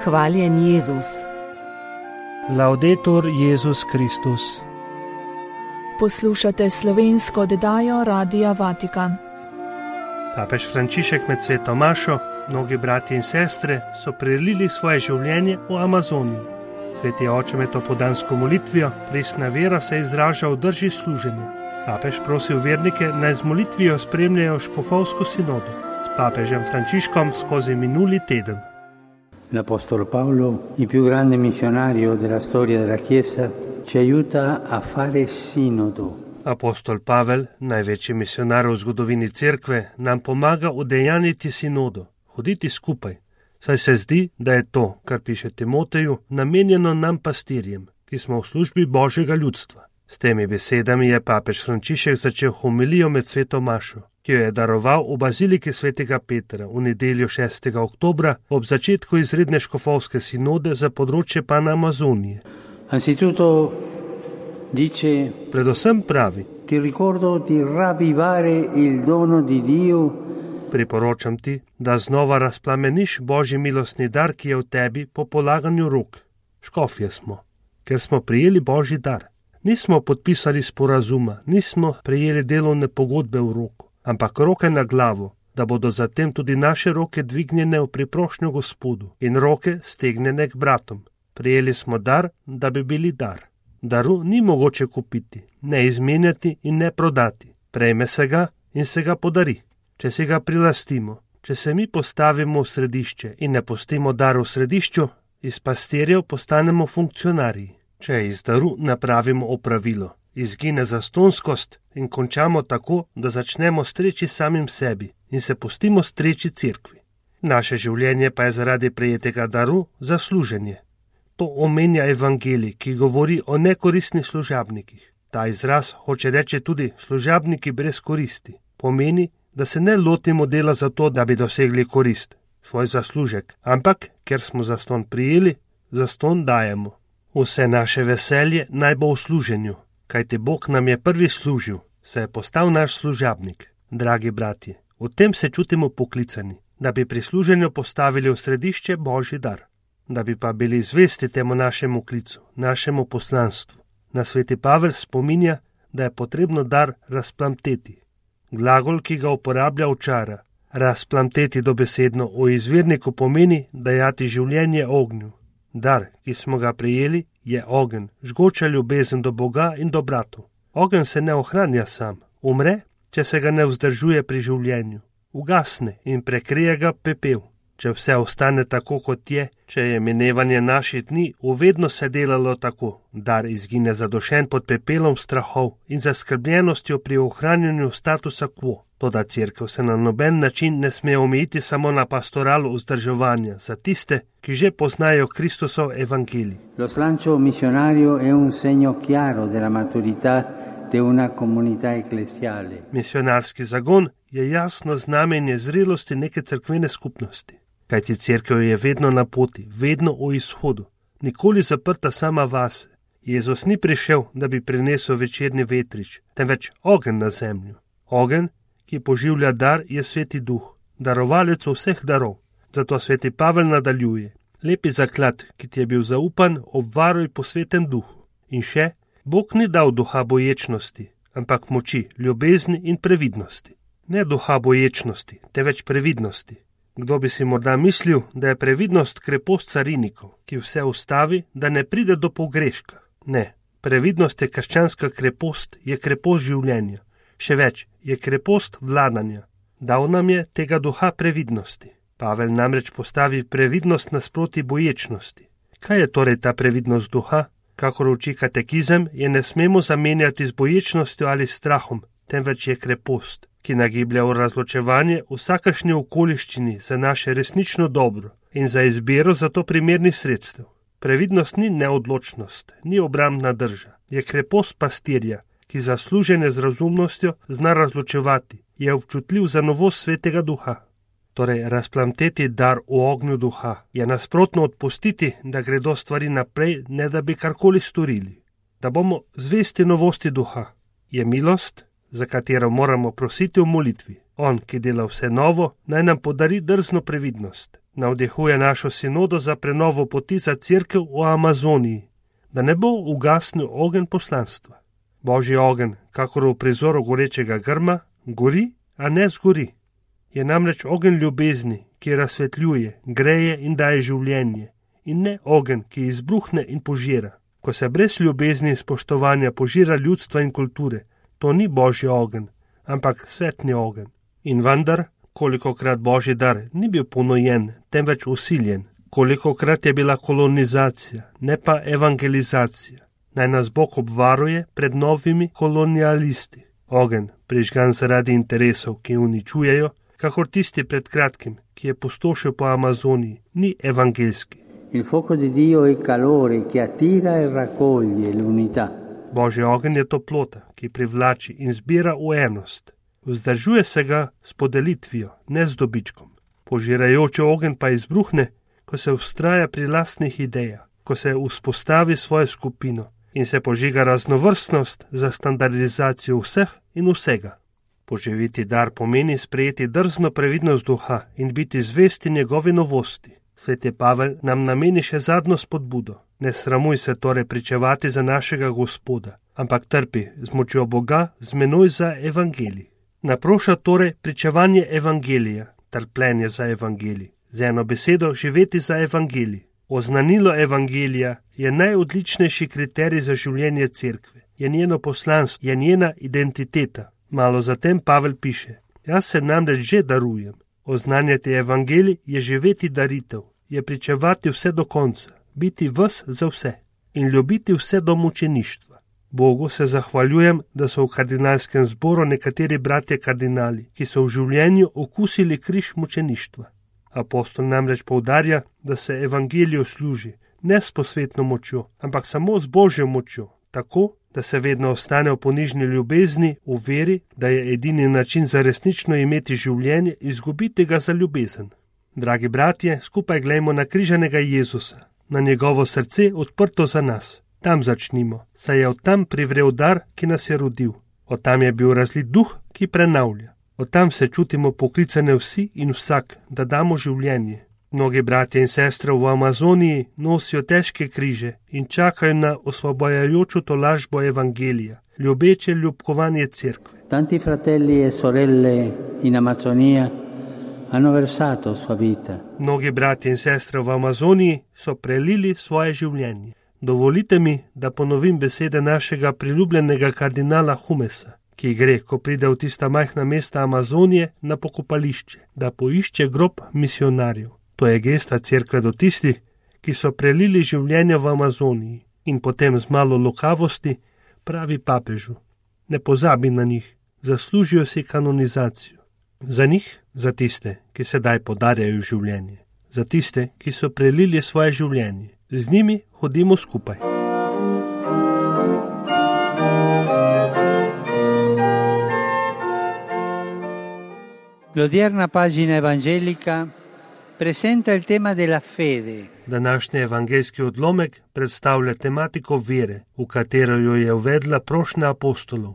Hvaljen Jezus. Laudetur Jezus Kristus. Poslušate slovensko oddajo Radia Vatikan. Papež Frančišek med sveto mašo, mnogi bratje in sestre so prelili svoje življenje v Amazoniji. Sveti oče med opoldansko molitvijo, resna vera se izraža v drži služenja. Papež prosil vernike naj z molitvijo spremljajo škofovsko sinodo s papežem Frančiškom skozi minuli teden. L'Apostolo Paolo, il più grande missionario della storia della Chiesa, ci aiuta a fare sinodo. Apostol Pavel, največji misionar v zgodovini cerkve, nam pomaga udejaniti sinodo, hoditi skupaj, saj se zdi, da je to, kar piše Timoteju, namenjeno nam pastirjem, ki smo v službi Božjega ljudstva. S temi besedami je papež Frančišek začel homilijo med sveto mašo, ki jo je daroval v baziliki svetega Petra v nedeljo 6. oktobra ob začetku izredne škofovske sinode za področje Panamazonije. Predvsem pravi: Ti ricordo di ravvivare il dono di Dio. Priporočam ti, da znova razplameniš Božji milostni dar, ki je v tebi po polaganju rok. Škofje smo, ker smo prijeli Božji dar. Nismo podpisali sporazuma, nismo prejeli delovne pogodbe v roko, ampak roke na glavo, da bodo zatem tudi naše roke dvignjene v priprošnjo Gospodu in roke stegnjene k bratom. Prijeli smo dar, da bi bili dar. Daru ni mogoče kupiti, ne izmenjati in ne prodati. Prejme se ga in se ga podari. Če si ga prilastimo, če se mi postavimo v središče in ne pustimo dar v središču, iz pastirjev postanemo funkcionarji. Če iz daru napravimo opravilo, izgine zastonskost in končamo tako, da začnemo streči samim sebi in se pustimo streči cerkvi. Naše življenje pa je zaradi prejetega daru za služenje. To omenja evangelij, ki govori o nekoristnih služabnikih. Ta izraz hoče reči tudi služabniki brez koristi. Pomeni, da se ne lotimo dela zato, da bi dosegli korist, svoj zaslužek, ampak, ker smo zaston prijeli, zaston dajemo. Vse naše veselje naj bo v služenju, kajti Bog nam je prvi služil, se je postal naš služabnik. Dragi bratje, v tem se čutimo poklicani, da bi pri služenju postavili v središče Božji dar, da bi pa bili zvesti temu našemu klicu, našemu poslanstvu. Na sveti Pavel spominja, da je potrebno dar razplamteti. Glagol, ki ga uporablja Očara, razplamteti dobesedno v izvirniku pomeni dajati življenje ognju. Dar, ki smo ga prejeli, je ogenj, žgoča ljubezen do Boga in do bratov. Ogenj se ne ohranja sam, umre, če se ga ne vzdržuje pri življenju. Ugasne in prekrije ga pepel. Če vse ostane tako, kot je, če je minevanje naših dni uvedno se delalo tako, dar izgine zadušen pod pepelom strahov in zaskrbljenostjo pri ohranjanju statusa quo. Toda cerkev se na noben način ne sme omejiti samo na pastoralo vzdrževanja za tiste, ki že poznajo Kristusov evangelij. Lo slancio missionario è un segno chiaro della maturità de una comunità ecclesiale. Misionarski zagon je jasno znamenje zrelosti neke cerkvene skupnosti. Kajti cerkev je vedno na poti, vedno v izhodu, nikoli zaprta sama vase. Jezus ni prišel, da bi prinesel večerni vetrič, temveč ogenj na zemljo. Ogenj, ki poživlja dar, je sveti duh, darovalec vseh darov. Zato sveti Pavel nadaljuje: lepi zaklad, ki ti je bil zaupan, obvaruj po svetem duhu. In še, Bog ni dal duha boječnosti, ampak moči, ljubezni in previdnosti. Ne duha boječnosti, temveč previdnosti. Kdo bi si morda mislil, da je previdnost krepost carinikov, ki vse ustavi, da ne pride do pogreška. Ne, previdnost je krščanska krepost, je krepost življenja. Še več, je krepost vladanja. Dal nam je tega duha previdnosti. Pavel namreč postavi previdnost nasproti boječnosti. Kaj je torej ta previdnost duha? Kakor uči katekizem, je ne smemo zamenjati z boječnostjo ali strahom, temveč je krepost, ki nagiblja v razločevanje vsakašni okoliščini za naše resnično dobro in za izbiro za to primernih sredstev. Previdnost ni neodločnost, ni obrambna drža, je krepost pastirja, ki za služenje z razumnostjo zna razločevati, je občutljiv za novost svetega duha. Torej, razplamteti dar v ognju duha je nasprotno odpustiti, da gredo stvari naprej, ne da bi karkoli storili. Da bomo zvesti novosti duha, je milost, za katero moramo prositi v molitvi. On, ki dela vse novo, naj nam podari drzno previdnost. Navdihuje našo sinodo za prenovo poti za cerkev v Amazoniji, da ne bo ugasnil ogenj poslanstva. Božji ogenj, kakor v prizoru gorečega grma, gori, a ne zgori. Je namreč ogenj ljubezni, ki razsvetljuje, greje in daje življenje, in ne ogenj, ki izbruhne in požira. Ko se brez ljubezni in spoštovanja požira ljudstva in kulture, to ni Božji ogenj, ampak svetni ogenj. In vendar, kolikokrat Božji dar ni bil ponujen, temveč usiljen, kolikokrat je bila kolonizacija, ne pa evangelizacija. Naj nas Bog obvaruje pred novimi kolonialisti. Ogenj, prižgan zaradi interesov, ki uničujejo, kakor tisti pred kratkim, ki je pustošil po Amazoniji, ni evangelski. Il fuoco di Dio è calore che attira e raccoglie l'unità. Božji ogenj je toplota, ki privlači in zbira v enost. Vzdržuje se ga s podelitvijo, ne z dobičkom. Požirajoči ogenj pa izbruhne, ko se vztraja pri lastnih idejah, ko se vzpostavi svojo skupino in se požiga raznovrstnost za standardizacijo vseh in vsega. Poživiti dar pomeni sprejeti drzno previdnost duha in biti zvesti njegovi novosti. Sveti Pavel nam nameni še zadnjo spodbudo. Ne sramuj se torej pričevati za našega Gospoda, ampak trpi z močjo Boga z menoj za evangelij. Naproša torej pričevanje evangelija, trpljenje za evangelij, z eno besedo živeti za evangelij. Oznanilo evangelija je najodličnejši kriterij za življenje cerkve, je njeno poslanstvo, je njena identiteta. Malo zatem Pavel piše: jaz se namreč že darujem. Oznanjati evangelij je živeti daritev, je pričevati vse do konca, biti ves za vse in ljubiti vse do mučeništva. Bogu se zahvaljujem, da so v kardinalskem zboru nekateri bratje kardinali, ki so v življenju okusili križ mučeništva. Apostol namreč poudarja, da se evangeliju služi ne s posvetno močjo, ampak samo z Božjo močjo, tako, da se vedno ostane v ponižni ljubezni, v veri, da je edini način za resnično imeti življenje, izgubiti ga za ljubezen. Dragi bratje, skupaj glejmo na križanega Jezusa, na njegovo srce odprto za nas. Tam začnimo, saj je od tam privrel dar, ki nas je rodil. Od tam je bil razlit duh, ki prenavlja. Od tam se čutimo poklicane vsi in vsak, da damo življenje. Mnogi bratje in sestre v Amazoniji nosijo težke križe in čakajo na osvobajajočo tolažbo evangelija, ljubeče ljubkovanje cerkve. Tanti fratelli e sorelle in Amazonija hanno versato sua vita. Mnogi bratje in sestre v Amazoniji so prelili svoje življenje. Dovolite mi, da ponovim besede našega priljubljenega kardinala Humesa, ki gre, ko pride v tista majhna mesta Amazonije, na pokopališče, da poišče grob misionarjev. To je gesta cerkve do tistih, ki so prelili življenje v Amazoniji in potem z malo lokavosti pravi papežu: ne pozabi na njih, zaslužijo si kanonizacijo. Za njih, za tiste, ki sedaj podarjajo življenje, za tiste, ki so prelili svoje življenje. Z njimi hodimo skupaj. L'odierna pagina evangelica presenta il tema della fede. Današnji evangeljski odlomek predstavlja tematiko vere, v katero jo je uvedla prošnja apostolov.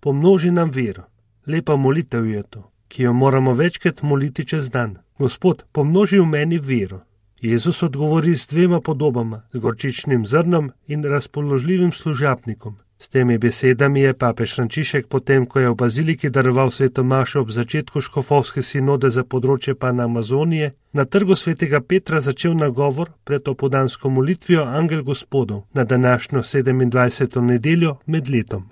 Pomnoži nam vero. Lepa molitev je to, ki jo moramo večkrat moliti čez dan. Gospod, pomnoži v meni vero. Jezus odgovori s dvema podobama, z gorčičnim zrnom in razpoložljivim služabnikom. S temi besedami je papež Frančišek potem, ko je v baziliki daroval sveto mašo ob začetku škofovske sinode za področje Panamazonije, na trgu svetega Petra začel nagovor pred opoldansko molitvijo Angel Gospodov na današnjo 27. nedeljo med letom.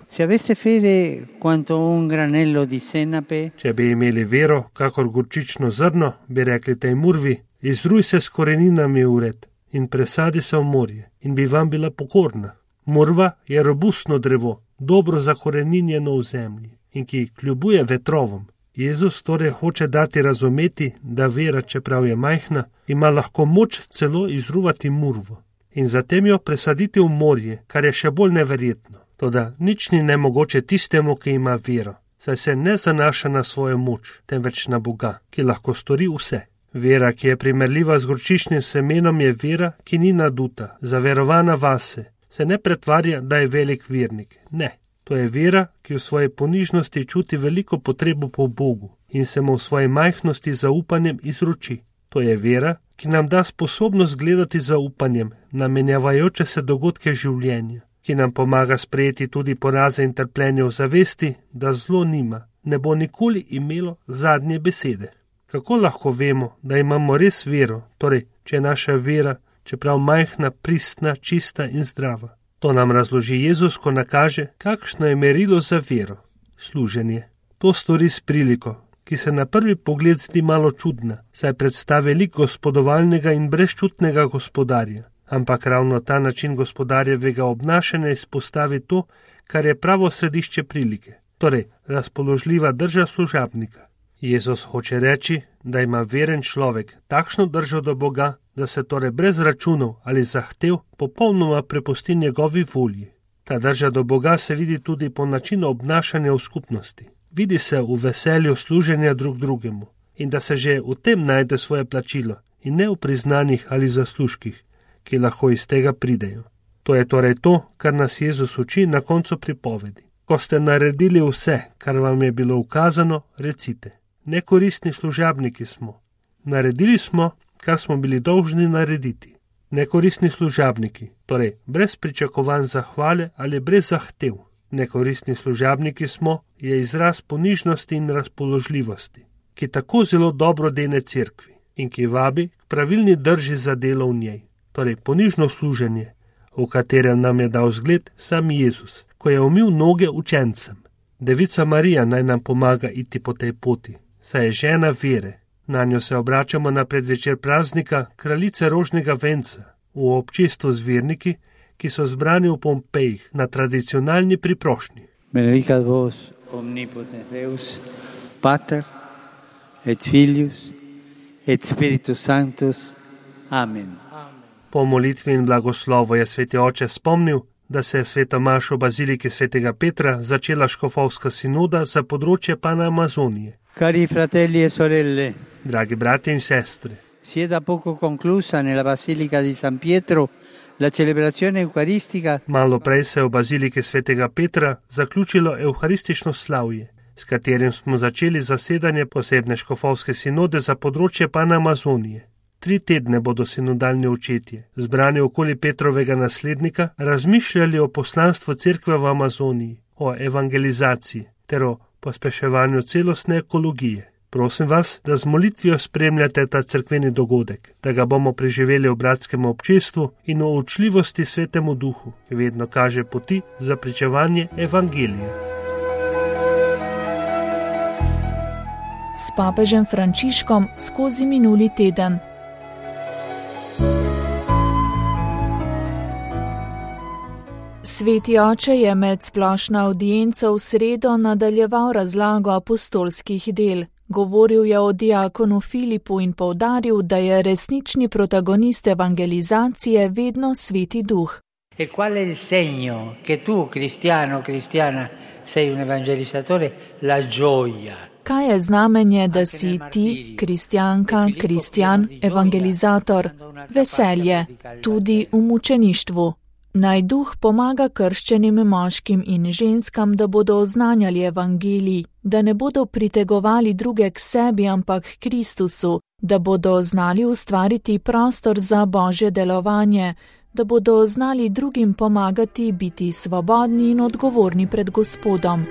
Če bi imeli vero, kakor gorčično zrno, bi rekli tej murvi: izruj se s koreninami v red in presadi se v morje in bi vam bila pokorna. Murva je robustno drevo, dobro zakoreninjeno v zemlji in ki kljubuje vetrovom. Jezus torej hoče dati razumeti, da vera, čeprav je majhna, ima lahko moč celo izruvati murvo in zatem jo presaditi v morje, kar je še bolj neverjetno. Toda nič ni nemogoče tistemu, ki ima vero, saj se ne zanaša na svojo moč, temveč na Boga, ki lahko stori vse. Vera, ki je primerljiva z gorčičnim semenom, je vera, ki ni naduta, zaverovana vase. Se ne pretvarja, da je velik vernik. Ne, to je vera, ki v svoji ponižnosti čuti veliko potrebo po Bogu in se mu v svoji majhnosti zaupanjem izroči. To je vera, ki nam da sposobnost gledati z zaupanjem na menjavajoče se dogodke življenja, ki nam pomaga sprejeti tudi poraze in trpljenje v zavesti, da zlo nima, ne bo nikoli imelo zadnje besede. Kako lahko vemo, da imamo res vero, torej, če je naša vera, čeprav majhna, pristna, čista in zdrava? To nam razloži Jezus, ko nakaže, kakšno je merilo za vero. Služenje. To stori s priliko, ki se na prvi pogled zdi malo čudna, saj predstavi lik gospodovalnega in brezčutnega gospodarja. Ampak ravno ta način gospodarjevega obnašanja izpostavi to, kar je pravo središče prilike, torej razpoložljiva drža služabnika. Jezus hoče reči, da ima veren človek takšno držo do Boga, da se torej brez računov ali zahtev popolnoma prepusti njegovi volji. Ta drža do Boga se vidi tudi po načinu obnašanja v skupnosti. Vidi se v veselju služenja drug drugemu in da se že v tem najde svoje plačilo in ne v priznanjih ali zaslužkih, ki lahko iz tega pridejo. To je torej to, kar nas Jezus uči na koncu pripovedi. Ko ste naredili vse, kar vam je bilo ukazano, recite: nekoristni služabniki smo. Naredili smo, kar smo bili dolžni narediti. Nekoristni služabniki, torej brez pričakovanj zahvale ali brez zahtev. Nekoristni služabniki smo, je izraz ponižnosti in razpoložljivosti, ki tako zelo dobro dene cerkvi in ki vabi k pravilni drži za delo v njej, torej ponižno služenje, v katerem nam je dal zgled sam Jezus, ko je umil noge učencem. Devica Marija naj nam pomaga iti po tej poti, saj je žena vere. Na njo se obračamo na predvečer praznika kraljice rožnega venca v občestvu z verniki, ki so zbrani v Pompejih na tradicionalni priprošnji. Benedicat vos omnipotens Deus, Pater et Filius et Spiritus Sanctus. Amen. Po molitvi in blagoslovu je sveti oče spomnil, da se je sveta maša v baziliki svetega Petra začela škofovska sinoda za področje Panamazonije. Cari fratelli e sorelle, dragi brati in sestre, si è da poco conclusa nella Basilica di San Pietro la celebrazione eucaristica. Malo prej se je v baziliki svetega Petra zaključilo evharistično slavje, s katerim smo začeli zasedanje posebne škofovske sinode za področje Panamazonije. 3 tedne bodo sinodalni očetje, zbrani okoli Petrovega naslednika, razmišljali o poslanstvu cerkve v Amazoniji, o evangelizaciji ter o pospeševanju celostne ekologije. Prosim vas, da z molitvijo spremljate ta cerkveni dogodek, da ga bomo preživeli v bratskem občestvu in v učljivosti svetemu duhu, ki vedno kaže poti za pričevanje evangelija. S papežem Frančiškom skozi minuli teden. Sveti oče je med splošno avdienco v sredo nadaljeval razlago apostolskih del. Govoril je o diakonu Filipu in poudaril, da je resnični protagonist evangelizacije vedno sveti duh. E qual è il segno che tu, cristiana, sei un evangelizzatore? La gioia. Kaj je znamenje, da si ti, kristjanka, kristjan, evangelizator? Veselje, tudi v mučeništvu. Naj duh pomaga krščenim moškim in ženskam, da bodo oznanjali evangelij, da ne bodo pritegovali druge k sebi, ampak k Kristusu, da bodo znali ustvariti prostor za Božje delovanje, da bodo znali drugim pomagati biti svobodni in odgovorni pred Gospodom.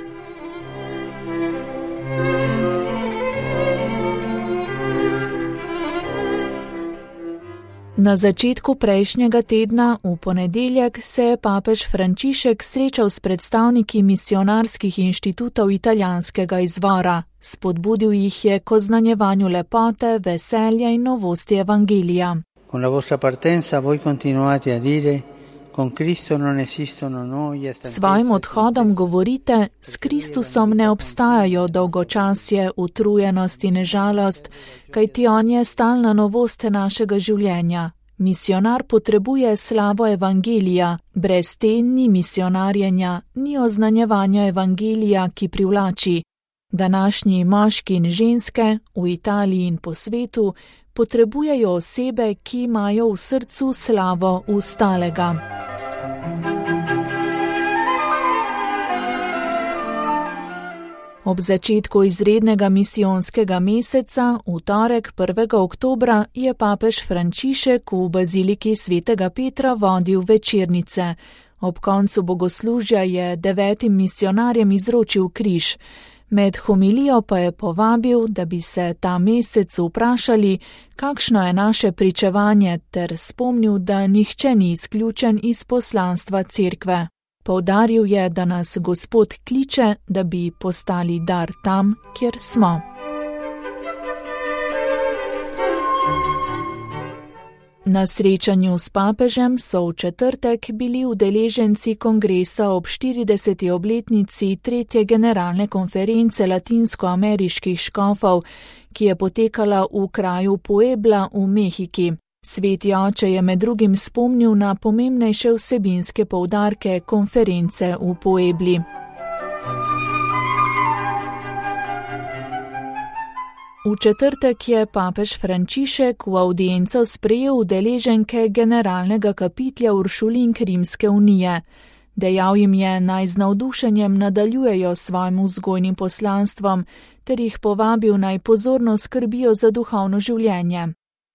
Na začetku prejšnjega tedna, v ponedeljek, se je papež Frančišek srečal s predstavniki misionarskih inštitutov italijanskega izvora. Spodbudil jih je k oznanjevanju lepote, veselja in novosti evangelija. Con la vostra partenza voi continuate a dire: con Cristo non esistono noie, stanchezza. Svojim odhodom govorite: s Kristusom ne obstajajo dolgočasje, utrujenost in žalost, kajti on je stalna novost našega življenja. Misionar potrebuje slavo evangelija, brez te ni misionarjenja, ni oznanjevanja evangelija, ki privlači. Današnji moški in ženske, v Italiji in po svetu, potrebujejo osebe, ki imajo v srcu slavo ustalega. Ob začetku izrednega misijonskega meseca, v torek 1. oktobra, je papež Frančišek v baziliki svetega Petra vodil večernice. Ob koncu bogoslužja je 9 misionarjem izročil križ. Med homilijo pa je povabil, da bi se ta mesec vprašali, kakšno je naše pričevanje, ter spomnil, da nihče ni izključen iz poslanstva cerkve. Poudaril je, da nas Gospod kliče, da bi postali dar tam, kjer smo. Na srečanju s papežem so v četrtek bili udeleženci kongresa ob 40. obletnici 3. generalne konference latinskoameriških škofov, ki je potekala v kraju Puebla v Mehiki. Sveti oče je med drugim spomnil na pomembnejše vsebinske poudarke konference v Puebli. V četrtek je papež Frančišek v avdienco sprejel udeleženke generalnega kapitlja Uršulink Rimske unije. Dejal jim je, naj z navdušenjem nadaljujejo svojim vzgojnim poslanstvom, ter jih povabil, naj pozorno skrbijo za duhovno življenje.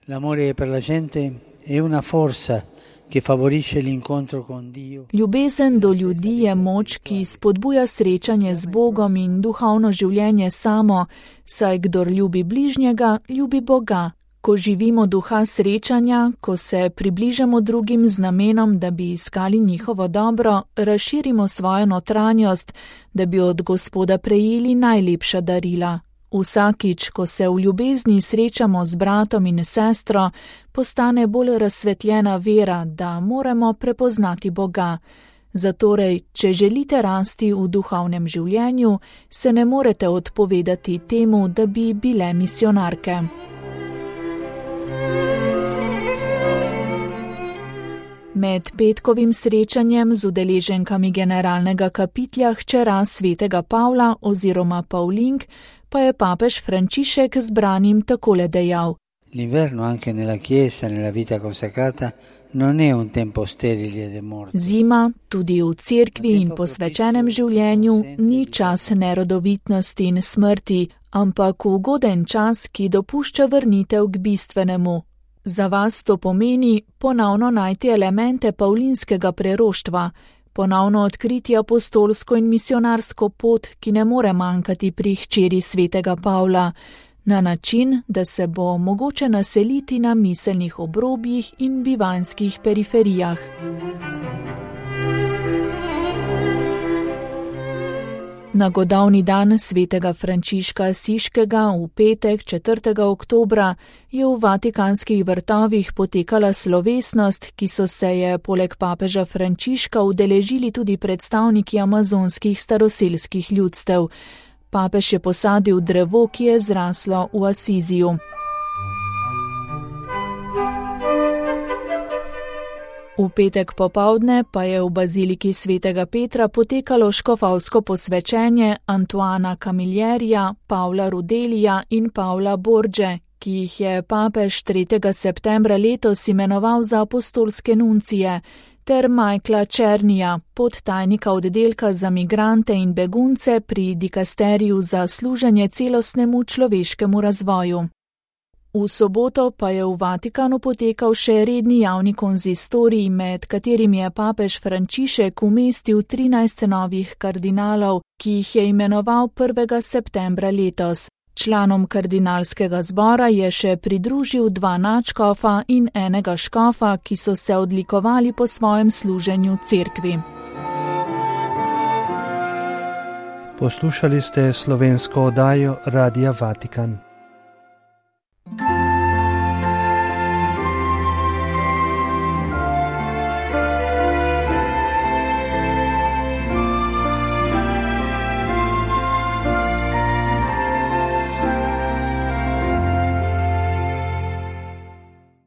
L'amore per la gente è una forza che favorisce l'incontro con Dio. Ljubezen do ljudi je moč, ki spodbuja srečanje z Bogom in duhovno življenje samo, saj kdor ljubi bližnjega, ljubi Boga. Ko živimo duha srečanja, ko se približamo drugim z namenom, da bi iskali njihovo dobro, razširimo svojo notranjost, da bi od Gospoda prejeli najlepša darila. Vsakič, ko se v ljubezni srečamo z bratom in sestro, postane bolj razsvetljena vera, da moramo prepoznati Boga. Zatorej, če želite rasti v duhovnem življenju, se ne morete odpovedati temu, da bi bile misijonarke. Med petkovim srečanjem z udeleženkami generalnega kapitlja hčera svetega Pavla oziroma Paulink pa je papež Frančišek zbranim takole dejal. L'inverno anche nella chiesa, nella vita consacrata, non è un tempo sterile de morte. Zima, tudi v cerkvi in posvečenem življenju, ni čas nerodovitnosti in smrti, ampak ugoden čas, ki dopušča vrnitev k bistvenemu. Za vas to pomeni ponovno najti elemente pavlinskega preroštva, ponovno odkriti apostolsko in misionarsko pot, ki ne more manjkati pri hčeri svetega Pavla, na način, da se bo mogoče naseliti na miselnih obrobjih in bivanjskih periferijah. Na godovni dan svetega Frančiška Asiškega v petek 4. oktobra je v Vatikanskih vrtovih potekala slovesnost, ki so se je poleg papeža Frančiška udeležili tudi predstavniki amazonskih staroselskih ljudstev. Papež je posadil drevo, ki je zraslo v Asiziju. V petek popovdne pa je v baziliki svetega Petra potekalo škofovsko posvečenje Antoana Camillerija, Pavla Rudelija in Pavla Borge, ki jih je papež 3. septembra letos imenoval za apostolske nuncije, ter Michaela Černija, podtajnika oddelka za migrante in begunce pri dikasteriju za služenje celostnemu človeškemu razvoju. V soboto pa je v Vatikanu potekal še redni javni konzistorij, med katerimi je papež Frančišek umestil 13 novih kardinalov, ki jih je imenoval 1. septembra letos. Članom kardinalskega zbora je še pridružil 2 nadškofa in enega škofa, ki so se odlikovali po svojem služenju cerkvi. Poslušali ste slovensko oddajo Radia Vatikan.